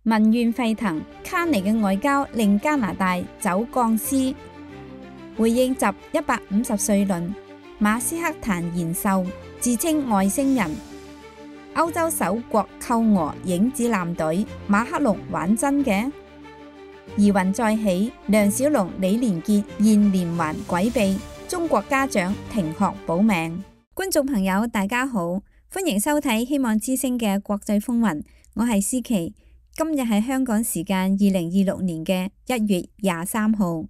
民怨沸騰，卡尼嘅外交令加拿大走鋼絲。回應習150歲論，馬斯克談延壽，自稱外星人。歐洲首國扣俄影子艦隊，馬克龍玩真嘅？疑雲再起，梁小龍、李連杰現連環詭秘，中國家長停學保命。觀眾朋友大家好，歡迎收睇希望之聲嘅國際風雲，我係思琪。今日係香港時間2026年嘅1月23號。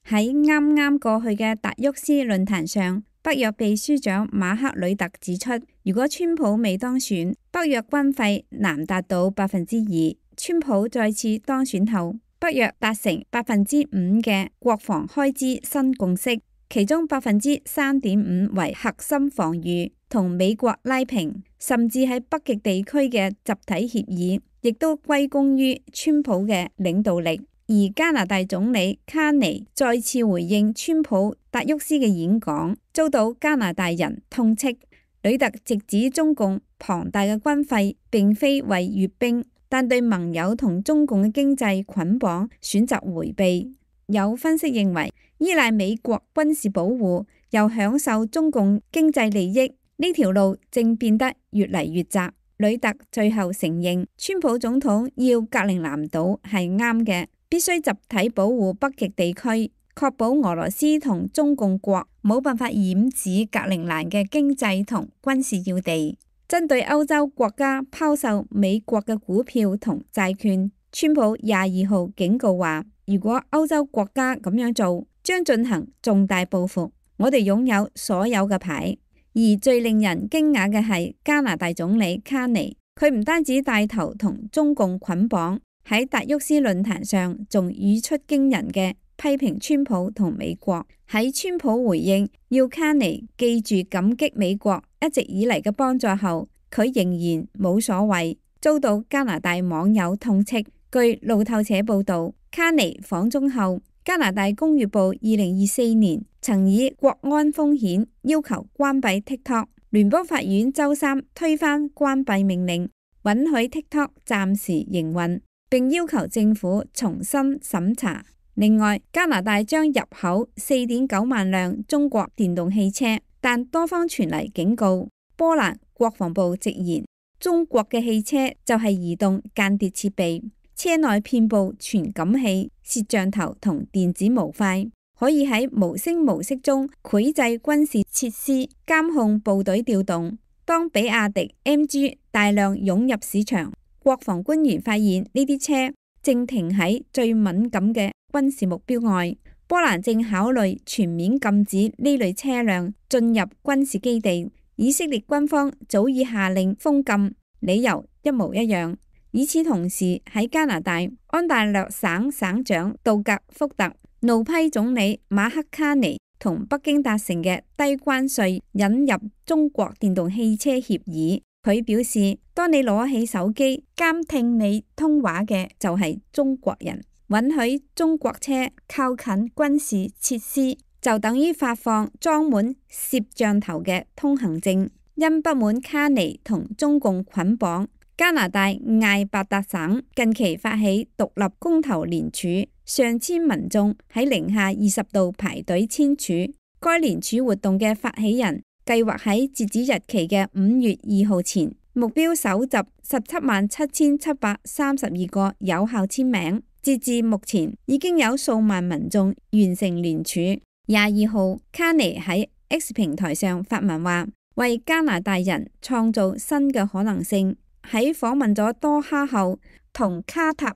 喺啱啱過去嘅達沃斯論壇上，北約秘書長馬克呂特指出，如果川普未當選，北約軍費難達到2%。川普再次當選後，北約達成5%嘅國防開支新共識，其中3.5%為核心防禦，同美國拉平，甚至喺北極地區嘅集體協議，亦都歸功於川普嘅領導力。而加拿大總理卡尼再次回應川普達沃斯嘅演講，遭到加拿大人痛斥。呂特直指中共龐大嘅軍費並非為閱兵，但對盟友同中共嘅經濟捆綁選擇迴避。有分析認為，依賴美國軍事保護又享受中共經濟利益，呢條路正變得越嚟越窄。呂特最後承認，川普總統要格陵蘭島係啱嘅，必須集體保護北極地區，確保俄羅斯同中共國冇辦法染指格陵蘭嘅經濟同軍事要地。針對歐洲國家拋售美國嘅股票同債券，川普22號警告話，如果歐洲國家咁樣做，將進行重大報復。我哋擁有所有嘅牌。而最令人驚訝嘅係加拿大總理卡尼，佢唔單止帶頭同中共捆綁，喺達沃斯論壇上仲語出驚人嘅批評川普同美國。喺川普回應要卡尼記住感激美國一直以嚟嘅幫助後，佢仍然冇所謂，遭到加拿大網友痛斥。據路透社報道，卡尼訪中後，加拿大工業部2024年曾以國安風險要求關閉 TikTok， 聯邦法院周三推翻關閉命令，允許 TikTok 暫時營運，並要求政府重新審查。另外，加拿大將入口 4.9 萬輛中國電動汽車，但多方傳嚟警告。波蘭國防部直言，中國嘅汽車就係移動間諜設備，車內遍佈傳感器、攝像頭同電子模塊，可以喺無聲無息中繪製軍事設施，監控部隊調動。當比亞迪 MG 大量湧入市場，國防官員發現呢啲車正停喺最敏感嘅軍事目標外。波蘭正考慮全面禁止呢類車輛進入軍事基地。以色列軍方早已下令封禁，理由一模一樣。與此同時，喺加拿大，安大略省省長杜格福特怒批總理馬克卡尼同北京達成嘅低關稅引入中國電動汽車協議。佢表示，當你攞起手機監聽你通話嘅就係中國人，允許中國車靠近軍事設施，就等於發放裝滿攝像頭嘅通行證。因不滿卡尼同中共捆綁，加拿大艾伯達省近期發起獨立公投聯署，上千民眾喺零下20度排隊簽署。該聯署活動嘅發起人計劃喺截止日期嘅5月2號前，目標搜集177732個有效簽名。截至目前，已經有數萬民眾完成聯署。22號，卡尼喺 X 平台上發文話，為加拿大人創造新嘅可能性。喺訪問咗多哈後，同卡塔爾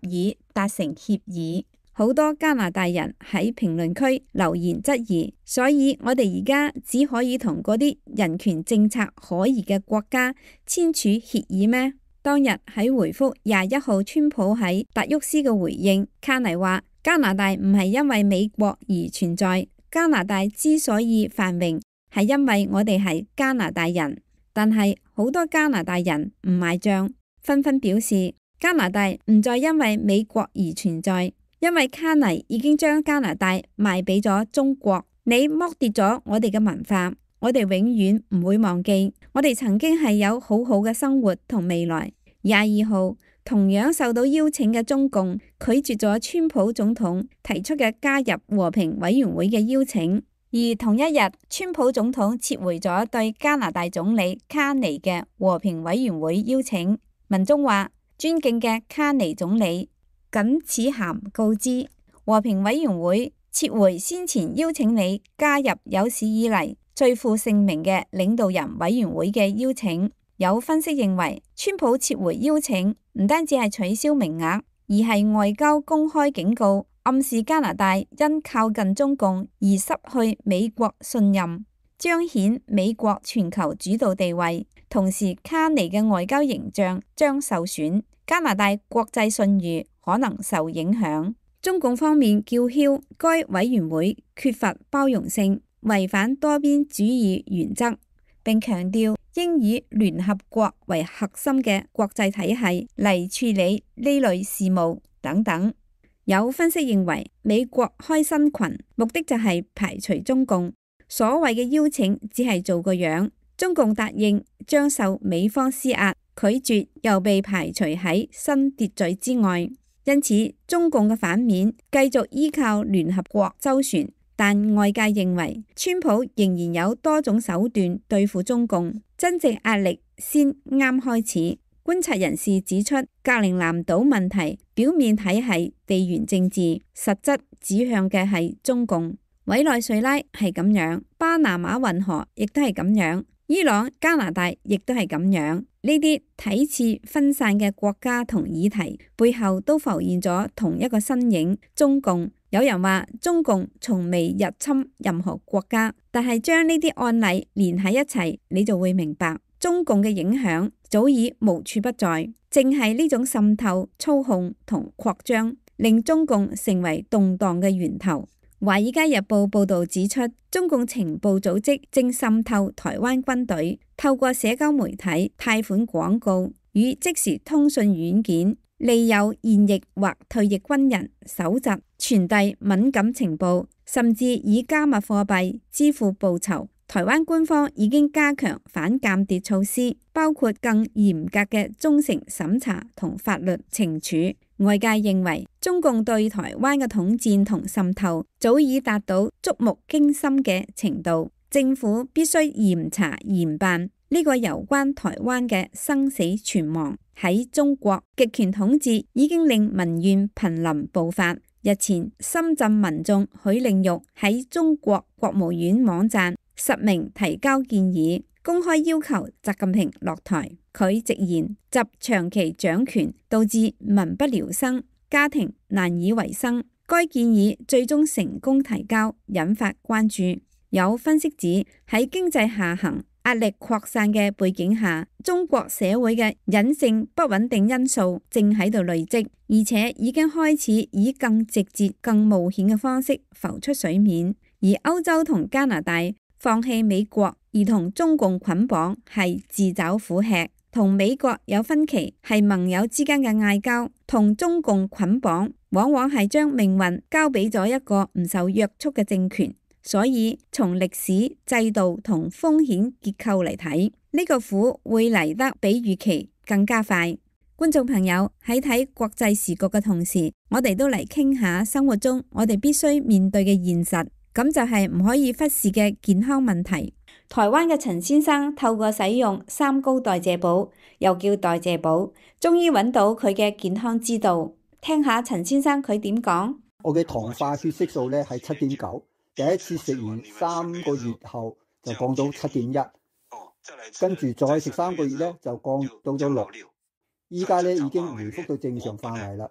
達成協議。好多加拿大人喺評論區留言質疑，所以我哋而家只可以同嗰啲人權政策可疑嘅國家簽署協議咩？當日喺回覆21號川普喺達沃斯嘅回應，卡尼話加拿大唔係因為美國而存在。加拿大之所以繁榮，係因為我哋係加拿大人，但係好多加拿大人唔買賬，紛紛表示加拿大唔再因為美國而存在，因為卡尼已經將加拿大賣俾咗中國。你剝奪咗我哋嘅文化，我哋永遠唔會忘記，我哋曾經係有好好嘅生活同未來。22號，同樣受到邀請嘅中共拒絕咗川普總統提出嘅加入和平委員會嘅邀請，而同一日，川普總統撤回咗對加拿大總理卡尼嘅和平委員會邀請。文中話：尊敬嘅卡尼總理，謹此函告知和平委員會撤回先前邀請你加入有史以嚟最負盛名嘅領導人委員會嘅邀請。有分析認為，川普撤回邀請唔單止係取消名額，而係外交公開警告，暗示加拿大因靠近中共而失去美國信任，彰顯美國全球主導地位。同時，卡尼嘅外交形象將受損，加拿大國際信譽可能受影響。中共方面叫囂該委員會缺乏包容性，違反多邊主義原則，並強調應以聯合國為核心嘅國際體系嚟處理呢類事務等等。有分析認為，美國開新群目的就係排除中共，所謂嘅邀請只係做個樣，中共答應將受美方施壓，拒絕又被排除喺新秩序之外。因此，中共嘅反面繼續依靠聯合國周旋，但外界認為川普仍然有多種手段對付中共，真正壓力先啱開始。觀察人士指出，格陵蘭島問題表面睇係地緣政治，實質指向嘅係中共。委內瑞拉係咁樣，巴拿馬運河亦都係咁樣，伊朗、加拿大亦都係咁樣。呢啲睇似分散嘅國家同議題背後都浮現咗同一個身影，中共。有人話中共從未入侵任何國家，但係將呢啲案例連喺一齊，你就會明白中共嘅影響早已無處不在。正係呢種滲透、操控同擴張，令中共成為動盪嘅源頭。《華爾街日報》報導指出，中共情報組織正滲透台灣軍隊，透過社交媒體、貸款廣告與即時通訊軟件，利誘現役或退役軍人搜集、傳遞敏感情報，甚至以加密貨幣支付報酬。台灣官方已經加強反間諜措施，包括更嚴格嘅忠誠審查同法律懲處。外界認為，中共對台灣嘅統戰同滲透早已達到觸目驚心嘅程度，政府必須嚴查嚴辦呢個有關台灣嘅生死存亡。喺中國，極權統治已經令民怨瀕臨爆發。日前，深圳民眾許令玉喺中國國務院網站實名提交建議，公開要求習近平落台。佢直言，習長期掌權導致民不聊生，家庭難以為生。該建議最終成功提交，引發關注。有分析指，喺經濟下行、壓力擴散嘅背景下，中國社會嘅隱性不穩定因素正喺度累積，而且已經開始以更直接、更冒險嘅方式浮出水面。而歐洲同加拿大放棄美國而同中共捆綁係自找苦吃，同美國有分歧係盟友之間嘅嗌交，同中共捆綁往往係將命運交俾咗一個唔受約束嘅政權。所以從歷史、制度同風險結構嚟睇，呢個苦會嚟得比預期更加快。觀眾朋友，喺睇國際時局嘅同時，我哋都嚟傾下生活中我哋必須面對嘅現實，咁就係唔可以忽視嘅健康問題。台灣嘅陳先生透過使用三高代謝寶，又叫代謝寶，終於揾到佢嘅健康之道。聽下陳先生佢點講。我嘅糖化血色素咧係7.9，第一次食完3個月後就降到7.1，跟住再食3個月咧就降到咗6，依家咧已經回復到正常範圍啦。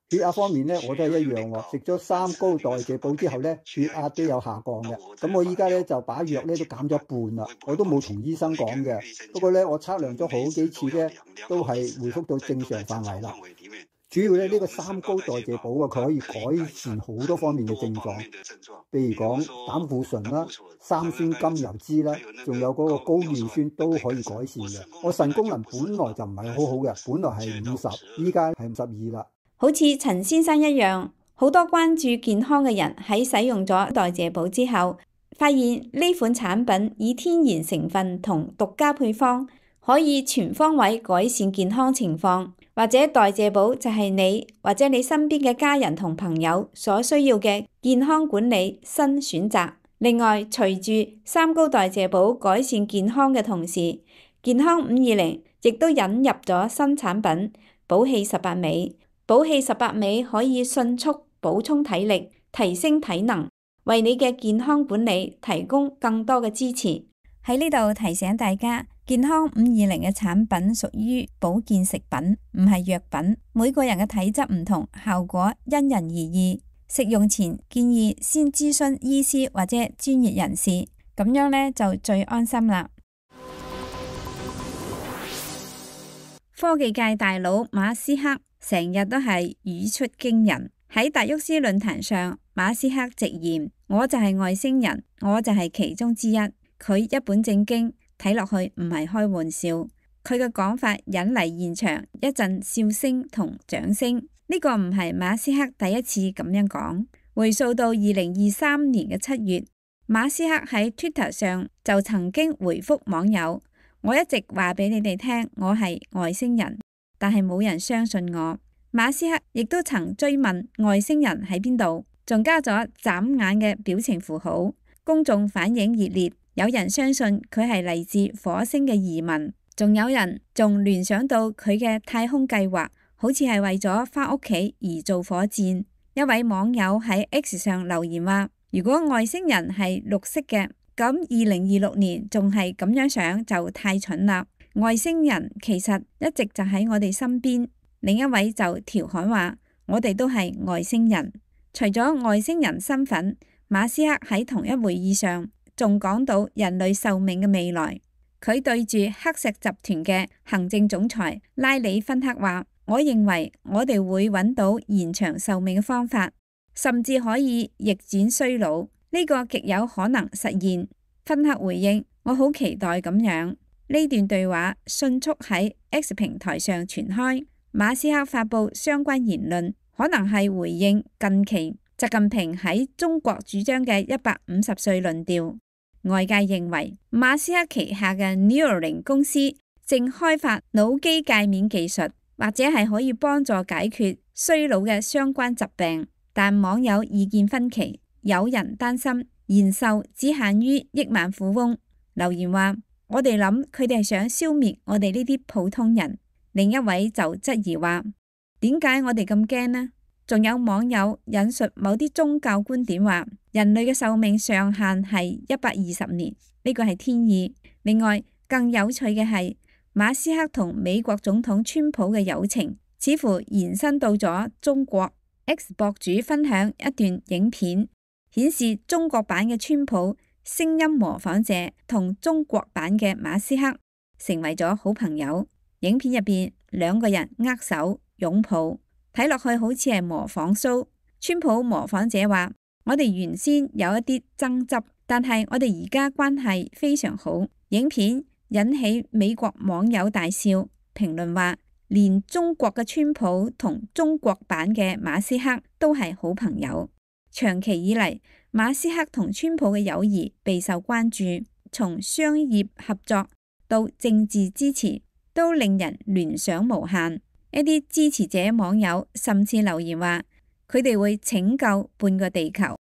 血壓方面咧，我都係一樣喎。食咗三高代謝寶之後咧，血壓都有下降嘅。咁我依家咧就把藥咧都減咗一半啦。我都冇同醫生講嘅。不過咧，我測量咗好幾次咧，都係回復到正常範圍啦。主要咧呢個三高代謝寶啊，佢可以改善好多方面嘅症狀，譬如講膽固醇啦、三酸甘油酯啦，仲有嗰個高尿酸都可以改善嘅。我腎功能本來就唔係好好嘅，本來係50，依家係52啦。好似陳先生一樣，好多關注健康嘅人喺使用咗代謝寶之後，發現呢款產品以天然成分同獨家配方，可以全方位改善健康情況，或者代謝寶就係你或者你身邊嘅家人同朋友所需要嘅健康管理新選擇。另外，隨住三高代謝寶改善健康嘅同時，健康520亦都引入咗新產品寶氣18味。寶氣18味可以迅速補充體力，提升體能，為你嘅健康管理提供更多嘅支持。喺呢度提醒大家，健康520嘅產品屬於保健食品，唔係藥品。每個人嘅體質唔同，效果因人而異。食用前建議先諮詢醫師或者專業人士，咁樣呢就最安心啦。科技界大佬馬斯克成日都係語出驚人。喺達沃斯論壇上，馬斯克直言：我就係外星人，我就係其中之一。佢一本正經，睇落去唔係開玩笑。佢嘅講法引嚟現場一陣笑聲同掌聲。呢個唔係馬斯克第一次咁樣講。回溯到2023年嘅7月，馬斯克喺 Twitter 上就曾經回覆網友：我一直話俾你哋聽，我係外星人，但係冇人相信我。馬斯克亦都曾追問外星人喺邊度，仲加咗眨眼嘅表情符號。公眾反應熱烈，有人相信佢係嚟自火星嘅移民，仲有人聯想到佢嘅太空計劃，好似係為咗返屋企而造火箭。一位網友喺 X 上留言話：如果外星人係綠色嘅，咁2026年仲係咁樣想就太蠢啦。外星人其實一直就喺我哋身邊。另一位就調侃話：我哋都係外星人。除咗外星人身份，馬斯克喺同一會議上仲講到人類壽命嘅未來。佢對住黑石集團嘅行政總裁拉里芬克話：我認為我哋會揾到延長壽命嘅方法，甚至可以逆轉衰老，呢個極有可能實現。芬克回應：我好期待咁樣。呢段對話迅速喺 X 平台上傳開。馬斯克發布相關言論，可能係回應近期習近平喺中國主張嘅150歲論調。外界認為馬斯克旗下嘅 Neuralink 公司正開發腦機界面技術，或者係可以幫助解決衰老嘅相關疾病。但網友意見分歧，有人擔心延壽只限於億萬富翁。留言話：我哋諗佢哋係想消滅我哋呢啲普通人。另一位就質疑話：點解我哋咁驚呢？仲有網友引述某啲宗教觀點話，人類嘅壽命上限係120年，呢個係天意。另外，更有趣嘅係馬斯克同美國總統川普嘅友情，似乎延伸到咗中國。X 博主分享一段影片，顯示中國版嘅川普聲音模仿者同中國版嘅馬斯克成為咗好朋友。影片入邊兩個人握手擁抱，睇落去好似係模仿 show。川普模仿者話：我哋原先有一啲爭執，但係我哋而家關係非常好。影片引起美國網友大笑，評論話連中國嘅川普同中國版嘅馬斯克都係好朋友。長期以嚟，馬斯克同川普嘅友誼備受關注，從商業合作到政治支持，都令人聯想無限。一啲支持者網友甚至留言話，佢哋會拯救半個地球。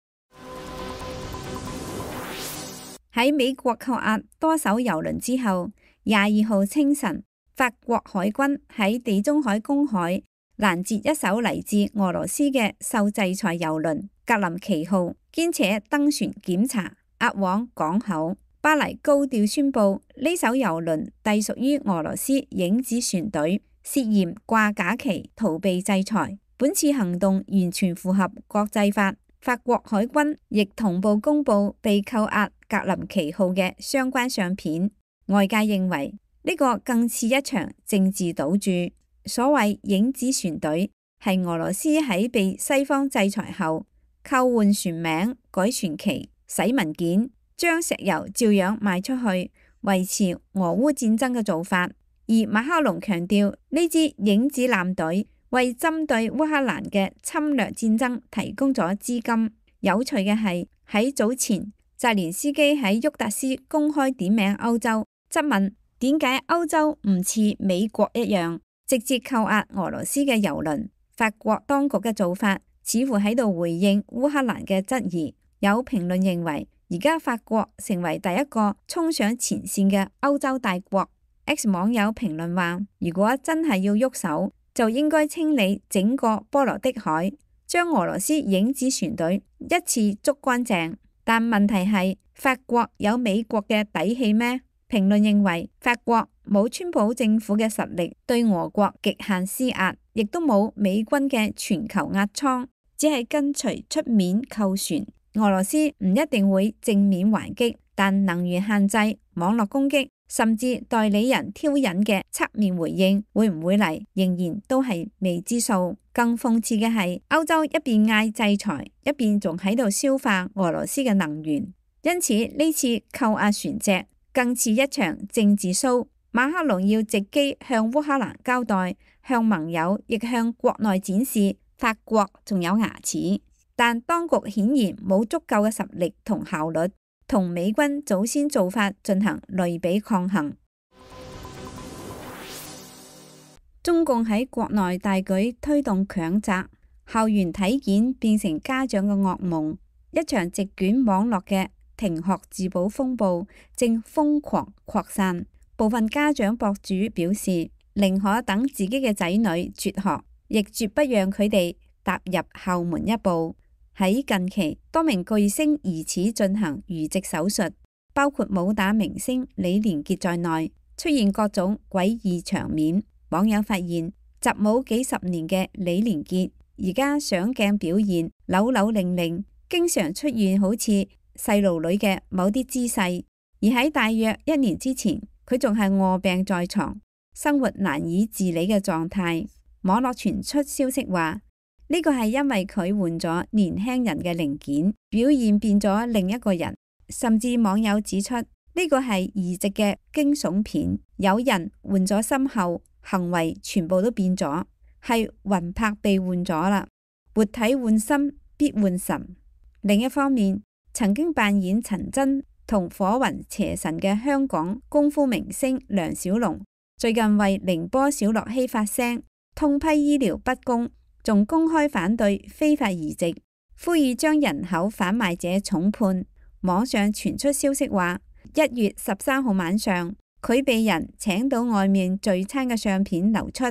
喺美國扣押多艘油輪之後，22號清晨，法國海軍喺地中海公海攔截一艘嚟自俄羅斯嘅受制裁油輪格林奇號，兼且登船檢查，押往港口。巴黎高調宣布呢艘油輪隸屬於俄羅斯影子船隊，涉嫌掛假旗逃避制裁。本次行動完全符合國際法。法國海軍亦同步公布被扣押格林奇號嘅相關相片。外界認為呢個更似一場政治賭注。所謂影子船隊係俄羅斯喺被西方制裁後扣換船名、改船旗、洗文件，將石油照樣賣出去，維持俄烏戰爭嘅做法。而馬克龍強調呢支影子艦隊為針對烏克蘭嘅侵略戰爭提供咗資金。有趣嘅係喺早前澤連斯基喺沃達斯公開點名歐洲，質問點解歐洲唔似美國一樣直接扣押俄羅斯嘅郵輪。法國當局嘅做法似乎喺度回應烏克蘭嘅質疑。有評論認為，而家法國成為第一個衝上前線嘅歐洲大國。X 網友評論話，如果真係要喐手，就應該清理整個波羅的海，將俄羅斯影子船隊一次捉乾淨。但問題係，法國有美國嘅底氣咩？評論認為，法國冇川普政府嘅實力對俄國極限施壓，亦都冇美軍嘅全球壓艙，只係跟隨出面扣船。俄羅斯唔一定會正面還擊，但能源限制、網絡攻擊，甚至代理人挑釁嘅側面回應會唔會嚟，仍然都係未知數。更諷刺嘅係，歐洲一邊嗌制裁，一邊仲喺度消化俄羅斯嘅能源。因此呢次扣押船隻更似一場政治 show。馬克龍要藉機向烏克蘭交代，向盟友亦向國內展示法國仲有牙齒。但當局顯然冇足夠嘅實力同效率，同美軍早先做法進行類比抗衡。中共喺國內大舉推動強摘，校園體檢變成家長嘅噩夢。一場席捲網絡嘅停學自保風暴正瘋狂擴散。部分家長博主表示，寧可等自己嘅仔女輟學，亦絕不讓佢哋踏入校門一步。喺近期，多名巨星疑似進行移植手術，包括武打明星李連杰在內，出現各種詭異場面。網友發現，習武幾十年嘅李連杰而家上鏡表現扭扭擰擰，經常出現好似細路女嘅某啲姿勢。而喺大約1年之前，佢仲係臥病在床，生活難以自理嘅狀態。網絡傳出消息話，呢個係因為佢換咗年輕人嘅零件，表現變咗另一個人。甚至網友指出，呢個係移植嘅驚悚片，有人換咗心後，行為全部都變咗，係魂魄被換咗啦。活體換心必換神。另一方面，曾經扮演陳真同火雲邪神嘅香港功夫明星梁小龍，最近為寧波小樂熙發聲，痛批醫療不公，仲公開反對非法移植，呼籲將人口販賣者重判。網上傳出消息話，1月13號晚上，佢被人請到外面聚餐嘅相片流出，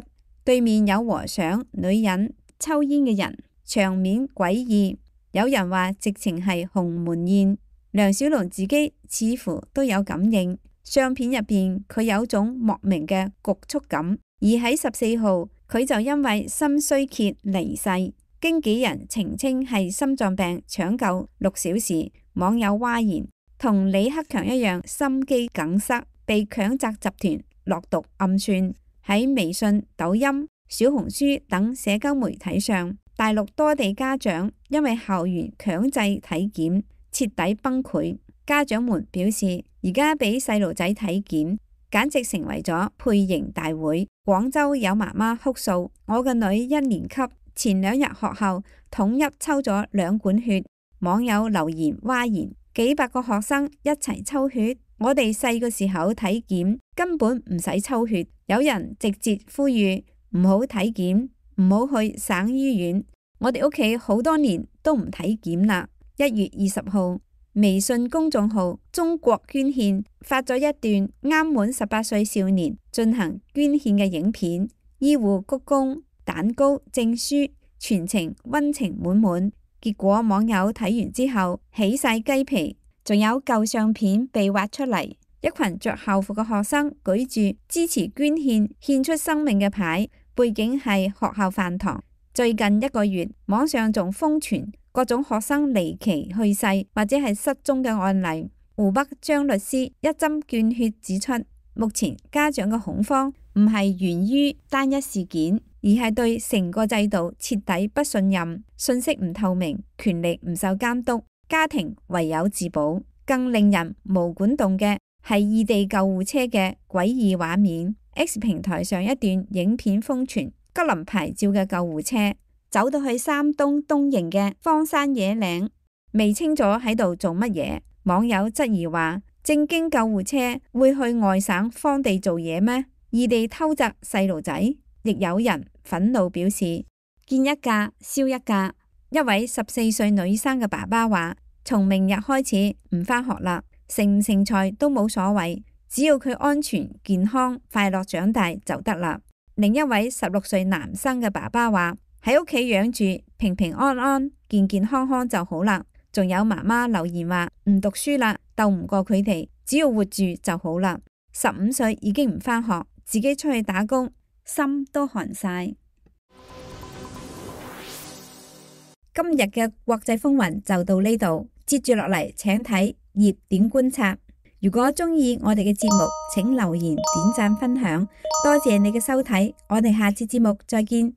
對面有和尚、女人、抽煙嘅人，場面詭異。有人話直情係鴻門宴。梁小龍自己似乎都有感應，相片入邊佢有種莫名嘅局促感。而喺14號，佢就因為心衰竭離世，經紀人澄清係心臟病搶救6小時。網友嘩然，同李克強一樣心肌梗塞，被強摘集團落毒暗算。喺微信、抖音、小紅書等社交媒體上，大陸多地家長因為校園強制體檢徹底崩潰。家長們表示，而家俾細路仔體檢簡直成為咗配型大會。廣州有媽媽哭訴，我個女1年級前2日學校統一抽咗2管血。網友留言嘩然，幾百個學生一齊抽血，我哋細個時候體檢根本唔使抽血。有人直接呼籲唔好體檢，唔好去省醫院。我哋屋企好多年都唔體檢啦。1月20號，微信公眾號中國捐獻發咗一段啱滿18歲少年進行捐獻嘅影片，醫護鞠躬、蛋糕、證書，全程溫情滿滿。結果網友睇完之後起晒雞皮，仲有舊相片被挖出嚟，一群着校服嘅學生舉住支持捐獻、獻出生命嘅牌，背景係學校飯堂。最近1個月，網上仲瘋傳各種學生離奇去世或者係失蹤嘅案例。湖北張律師一針見血指出，目前家長嘅恐慌唔係源於單一事件，而係對成個制度徹底不信任，信息唔透明，權力唔受監督，家庭唯有自保。更令人毛管動嘅係異地救護車嘅詭異畫面。X 平台上一段影片瘋傳，吉林牌照嘅救護車走到去山東東營嘅荒山野嶺，未清楚喺度做乜嘢。網友質疑話：正經救護車會去外省荒地做嘢咩？異地偷襲細路仔？亦有人憤怒表示：見一架燒一架。一位14歲女生嘅爸爸話：從明日開始唔返學啦，成唔成才都冇所謂，只要佢安全健康快樂長大就得啦。另一位16歲男生嘅爸爸話：喺屋企養住平平安安健健康康就好啦。仲有媽媽留言話：唔讀書啦，鬥唔過佢哋，只要活住就好啦。15歲已經唔返學，自己出去打工，心都寒晒。今日嘅國際風雲就到呢度，接住落嚟請睇熱點觀察。如果中意我哋嘅節目，請留言、點讚、分享，多謝你嘅收睇，我哋下次節目再見。